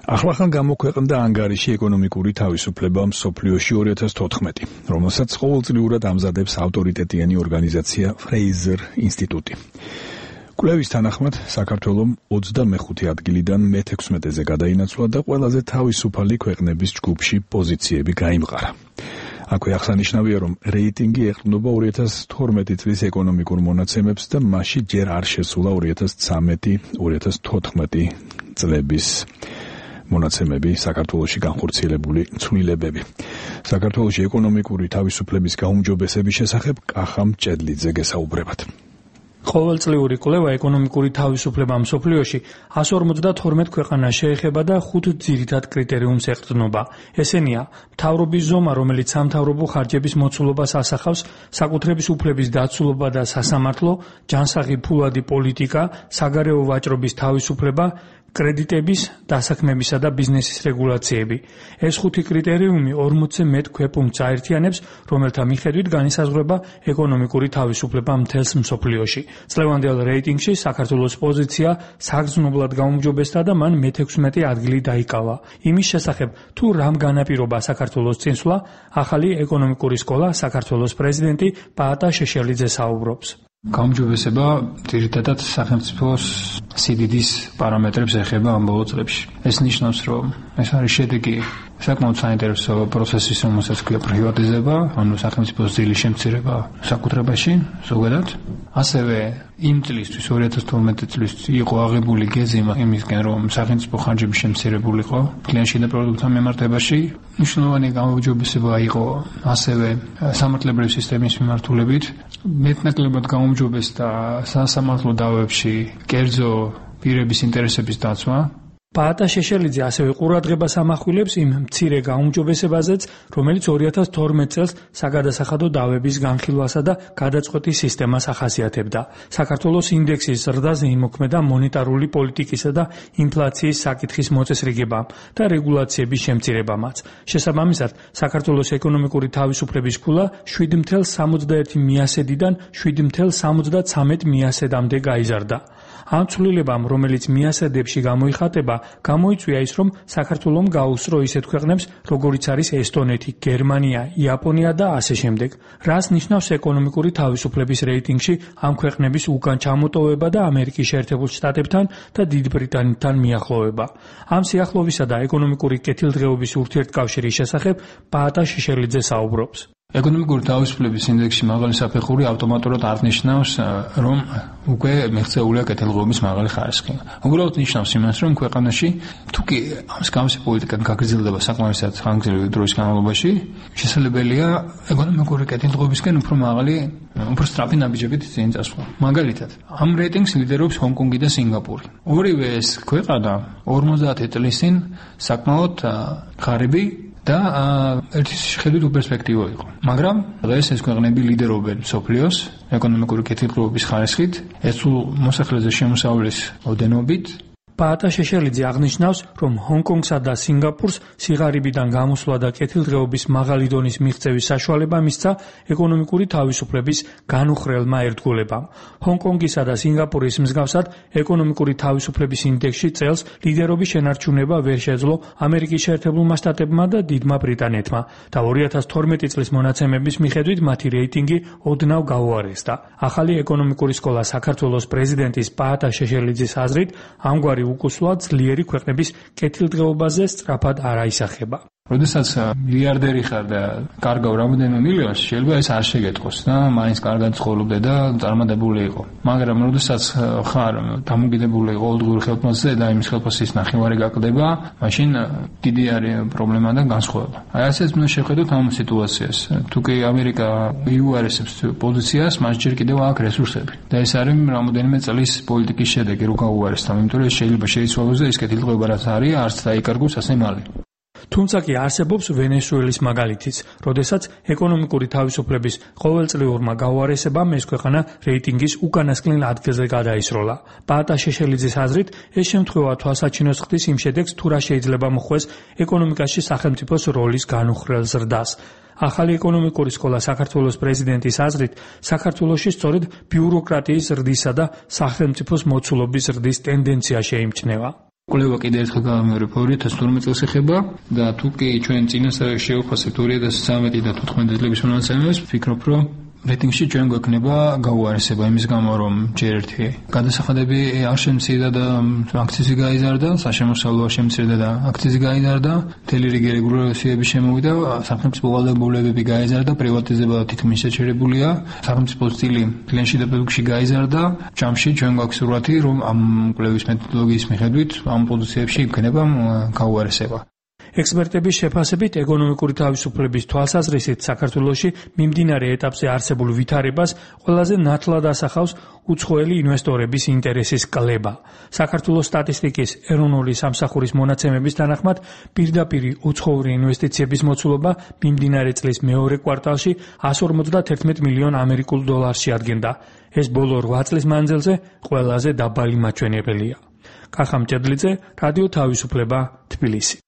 ახლახან გამოქვეყნდა ანგარიში ეკონომიკური თავისუფლება მსოფლიოში 2014, რომელსაც ყოველწლიურად ამზადებს ავტორიტეტიანი ორგანიზაცია Fraser ინსტიტუტი. კვლევის თანახმად, საქართველომ 25 ადგილიდან მე-16-ზე გადაინაცვლა და ყველაზე თავისუფალი ქვეყნების ჯგუფში პოზიციები გაიმყარა. აქვე აღსანიშნავია, რომ რეიტინგი ეყრდნობა 2012 წლის ეკონომიკურ მონაცემებს და მასში ჯერ არ შესულა 2013-2014 წლების მონაცემები საქართველოში განხორციელებული ცვლილებები. საქართველოში ეკონომიკური თავისუფლების გაუმჯობესების შესახებ კახა მჭედლიძე გესაუბრებათ. ყოველწლიური კვლევა ეკონომიკური თავისუფლება მსოფლიოში 152 ქვეყანას შეეხება და 5 ძირითად კრიტერიუმს ეყრდნობა. ესენია: მთავრობის ზომა, რომელიც სამთავრობო ხარჯების მოცულობას ასახავს, საკუთრების უფლების დაცულობა და სასამართლო, ჯანსაღი ფულადი პოლიტიკა, საგარეო ვაჭრობის თავისუფლება, კრედიტების, დასაქმებისა და ბიზნესის რეგულაციები. ეს 5 კრიტერიუმი 40-ზე მეტ ქვეპუნქტს აერთიანებს, რომელთა მიხედვით განისაზღვრება ეკონომიკური თავისუფლება მთელს მსოფლიოში. წლევანდელ რეიტინგში საქართველოს პოზიცია საგრძნობლად გაუმჯობესდა და მან მე-16 ადგილი დაიკავა. იმის შესახებ, თუ რამ განაპირობა საქართველოს წინსვლა, ახალი ეკონომიკური სკოლა საქართველოს პრეზიდენტი პაატა შეშელიძე საუბრობს. გაუმჯობესება ძირითადად სახელმწიფოს სიდიდის პარამეტრებს ეხება ამ ბოლო წლებში. ეს ნიშნავს, რომ ეს არის შედეგი საკმაოდ საინტერესო პროცესის, რომელსაც ქვია პრივატიზება, ანუ სახელმწიფოს ძილის შემცირება საკუთრებაში ზოგადად. ასევე იმ წლისთვის 2012 წლის იყო აღებული გეზი იმისკენ, რომ სახელმწიფო ხარჯები შემცირებულიყო კლიანტში და პროდუქტთან მიმართებაში. მნიშვნელოვანი გაუმჯობესება იყო ასევე სამართლებრივი სისტემის მიმართულებით. მეტნაკლებად გაუმჯობესდა სასამართლო დავებში კერძო პირების ინტერესების დაცვა. პაატა შეშელიძე ასევე ყურადღებას ამახვილებს იმ მცირე გაუმჯობესებაზეც, რომელიც 2012 წელს საგადასახადო დავების განხილვასა და გადაწყვეტის სისტემას ახასიათებდა. საქართველოს ინდექსის ზრდაზე იმოქმედა მონეტარული პოლიტიკისა და ინფლაციის საკითხის მოწესრიგებამ და რეგულაციების შემცირებამაც. შესაბამისად, საქართველოს ეკონომიკური თავისუფლების ქულა 7,61%-დან 7,73 მიასედამდე გაიზარდა. ამ ცვლილებამ, რომელიც მიასედებში გამოიხატება, გამოიწვია ის, რომ საქართველომ გაუსწრო ისეთ ქვეყნებს, როგორიც არის ესტონეთი, გერმანია, იაპონია და ასე შემდეგ. რას ნიშნავს ეკონომიკური თავისუფლების რეიტინგში ამ ქვეყნების უკან ჩამოტოვება და ამერიკის შეერთებულ შტატებთან და დიდ ბრიტანეთთან მიახლოვება. ამ სიახლოვისა და ეკონომიკური კეთილდღეობის ურთიერთკავშირის შესახებ პაატა შეშელიძე საუბრობს. ეკონომიკური თავისუფლების ინდექსში მაღალი საფეხური ავტომატურად არ ნიშნავს, რომ უკვე მიღწეულია კეთილდღეობის მაღალი ხარისხი. უბრალოდ ნიშნავს იმას, რომ ქვეყანაში თუკი მსგავსი პოლიტიკა გაგრძელდება საკმარისად ხანგრძლივი დროის განმავლობაში, შესაძლებელია ეკონომიკური კეთილდღეობისკენ უფრო მაღალი, უფრო სწრაფი ნაბიჯებით წინ წასვლა. მაგალითად, ამ რეიტინგს ლიდერობს ჰონკონგი და სინგაპური. ორივე ეს ქვეყანა 50 წლის წინ საკმაოდ ღარიბი და ერთის შეხედვით უპერსპექტივო იყო. მაგრამ დღეს ეს ქვეყნები ლიდერობენ მსოფლიოს ეკონომიკური კეთილდღეობის ხარისხით, ერთულ მოსახლეზე შემოსავლის ოდენობით. პაატა შეშელიძე აღნიშნავს, რომ ჰონკონგსა და სინგაპურს სიღარიბიდან გამოსვლა და კეთილდღეობის მაღალი დონის მიღწევის საშუალება მისცა ეკონომიკური თავისუფლების განუხრელმა ერთგულებამ. ჰონკონგისა და სინგაპურის მსგავსად ეკონომიკური თავისუფლების ინდექსში წელს ლიდერობის შენარჩუნება ვერ შეძლო ამერიკის შეერთებულმა შტატებმა და დიდმა ბრიტანეთმა და 2012 წლის მონაცემების მიხედვით მათი რეიტინგი ოდნავ გაუარესდა. ახალი ეკონომიკური სკოლა საქართველოს პრეზიდენტის პაატა შეშელიძის აზრით, ამგვარი უკუსვლა ძლიერი ქვეყნების კეთილდღეობაზე სწრაფად არ აისახება. როდესაც მილიარდერი ხარ და კარგავ რამოდენიმე მილიონს, შეიძლება ეს არ შეგეთქოს და მაინც კარგად ცხოვრობდე და წარმატებული იყო. მაგრამ როდესაც ხარ დამოკიდებული ყოველდღიური ხელფასზე და იმის ხელფასის ნახევარი გაკლდება, მაშინ დიდი არის პრობლემა და განსხვავება. აი ასეც უნდა შევხედოთ ამ სიტუაციას. თუკი ამერიკა იუარესებს პოზიციას, მას ჯერ კიდევ აქვს რესურსები. და ეს არის რამოდენიმე წლის პოლიტიკის შედეგი, რო გაუარესდა, იმიტომ რომ ეს შეიძლება შეიცვალოს და ის კეთილდღეობა რაც არის, არც დაიკარგოს ასე მალე. თუმცა კი არსებობს ვენესუელის მაგალითიც, როდესაც ეკონომიკური თავისუფლების ყოველწლიურმა გაუარესებამ ეს ქვეყანა რეიტინგის უკანასკნელ ადგილზე გადაისროლა. პაატა შეშელიძის აზრით, ეს შემთხვევა თვალსაჩინოს ხდის იმ შედეგს, თუ რა შეიძლება მოხდეს ეკონომიკაში სახელმწიფოს როლის განუხრელ ზრდას. ახალი ეკონომიკური სკოლა საქართველოს პრეზიდენტის აზრით, საქართველოში სწორედ ბიუროკრატიის ზრდისა და სახელმწიფოს მოცულობის ზრდის ტენდენცია შეიმჩნევა. კვლევა კიდევ ერთხელ გამეორება 2012 წელს ეხება და თუ კი ჩვენ წინასწარ შევფასებთ 2013 და 2014 წლების მონაცემებს, ვფიქრობ, რომ რეიტინგში ჩვენ გვექნება გაუარესება იმის გამო, რომ ჯერ ერთი გადასახადები არ შემცირდა და აქციზი გაიზარდა, საშემოსავლო არ შემცირდა და აქციზი გაიზარდა, მთელი რიგი რეგულაციები შემოვიდა, სახელმწიფო ვალდებულებები გაიზარდა, პრივატიზება თითქმის შეჩერებულია, სახელმწიფო სტილი კლიენტში და პროდუქტში გაიზარდა. ჯამში ჩვენ გვაქვს სურათი, რომ ამ კვლევის მეთოდოლოგიის მიხედვით ამ პოზიციებში იქნება გაუარესება. ექსპერტების შეფასებით, ეკონომიკური თავისუფლების თვალსაზრისით საქართველოში მიმდინარე ეტაპზე არსებულ ვითარებას ყველაზე ნათლად ასახავს უცხოელი ინვესტორების ინტერესის კლება. საქართველოს სტატისტიკის ეროვნული სამსახურის მონაცემების თანახმად, პირდაპირ უცხოური ინვესტიციების მოცულობა მიმდინარე წლის მეორე კვარტალში 151 მილიონ ამერიკულ დოლარში ადგენდა. ეს ბოლო 8 წლის მანძილზე ყველაზე დაბალი მაჩვენებელია. კახა მჭედლიძე, რადიო თავისუფლება, თბილისი.